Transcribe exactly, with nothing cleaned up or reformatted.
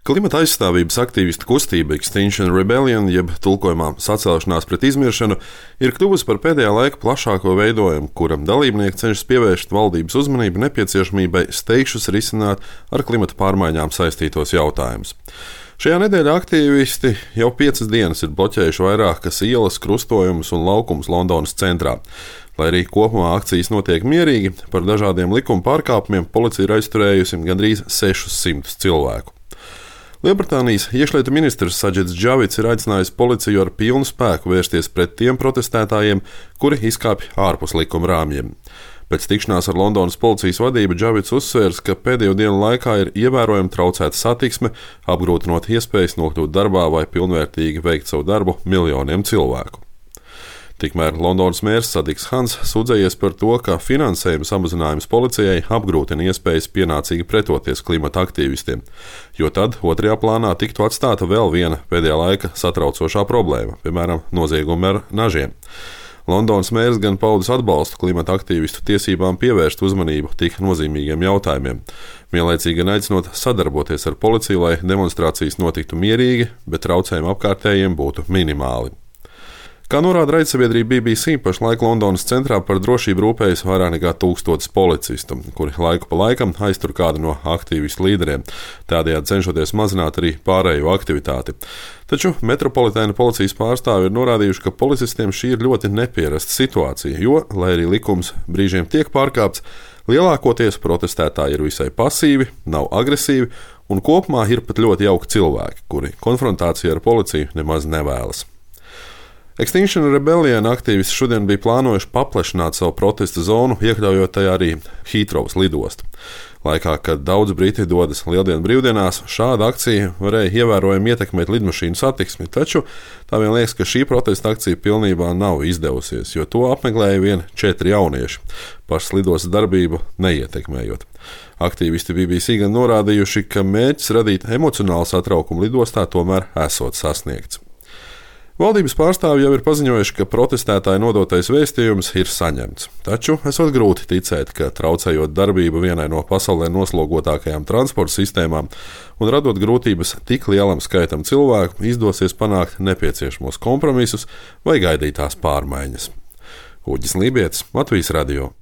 Klimata aizstāvības aktīvistu kustība Extinction Rebellion, jeb tulkojumā sacelšanās pret izmiršanu, ir kļuvusi par pēdējā laika plašāko veidojumu, kura dalībnieki cenšas pievērst valdības uzmanību nepieciešamībai steigšus risināt ar klimata pārmaiņām saistītos jautājumus. Šajā nedēļā aktīvisti jau piecas dienas ir bloķējuši vairākas ielas, krustojumus un laukumus Londonas centrā. Lai arī kopumā akcijas notiek mierīgi, par dažādiem likuma pārkāpumiem policija ir aizturējusi gandrīz sešus simtus cilvēku. Lielbritānijas iekšlietu ministrs Sadžits Džavids ir aicinājis policiju ar pilnu spēku vērsties pret tiem protestētājiem, kuri izkāpj ārpus likuma rāmjiem. Pēc tikšanās ar Londonas policijas vadību Džavids uzsvērs, ka pēdējo dienu laikā ir ievērojami traucēta satiksme, apgrūtinot iespējas nokļūt darbā vai pilnvērtīgi veikt savu darbu miljoniem cilvēku. Tikmēr Londonas mērs Sadiks Hans sūdzējies par to, ka finansējuma samazinājums policijai apgrūtina iespējas pienācīgi pretoties klimata aktīvistiem, jo tad otrajā plānā tiktu atstāta vēl viena pēdējā laika satraucošā problēma, piemēram, noziegumi ar nažiem. Londonas mērs gan paudis atbalstu klimata aktīvistu tiesībām pievērst uzmanību tik nozīmīgiem jautājumiem, vienlaicīgi gan aicinot sadarboties ar policiju, lai demonstrācijas notiktu mierīgi, bet traucējumi apkārtējiem būtu minimāli. Kā norāda raidsabiedrība B B C, pašlaik Londonas centrā par drošību rūpējas vairāk nekā tūkstotis policistu, kuri laiku pa laikam aiztur kādu no aktīvistu līderiem, tādējādi cenšoties mazināt arī pārējo aktivitāti. Taču metropolitēna policijas pārstāvi ir norādījuši, ka policistiem šī ir ļoti nepierasta situācija, jo, lai arī likums brīžiem tiek pārkāpts, lielākoties protestētāji ir visai pasīvi, nav agresīvi un kopumā ir pat ļoti jauki cilvēki, kuri konfrontāciju ar policiju nemaz nevēlas. Extinction Rebellion aktīvisti šodien bija plānojuši paplašināt savu protesta zonu, iekļaujot tajā arī Hītrovas lidostu. Laikā, kad daudz briti dodas lieldienu brīvdienās, šāda akcija varēja ievērojami ietekmēt lidmašīnu satiksmi, taču tā vien liekas, ka šī protesta akcija pilnībā nav izdevusies, jo to apmeklēja vien četri jaunieši, pašas lidostas darbību neietekmējot. Aktīvisti B B C gan norādījuši, ka mērķis radīt emocionālu satraukumu lidostā tomēr esot sasniegts. Valdības pārstāvji jau ir paziņojuši, ka protestētāju nodotais vēstījums ir saņemts. Taču esot grūti ticēt, ka traucējot darbību vienai no pasaulē noslogotākajām transporta sistēmām un radot grūtības tik lielam skaitam cilvēku, izdosies panākt nepieciešamos kompromisus vai gaidītās pārmaiņas. Uģis Lībietis, Latvijas radio.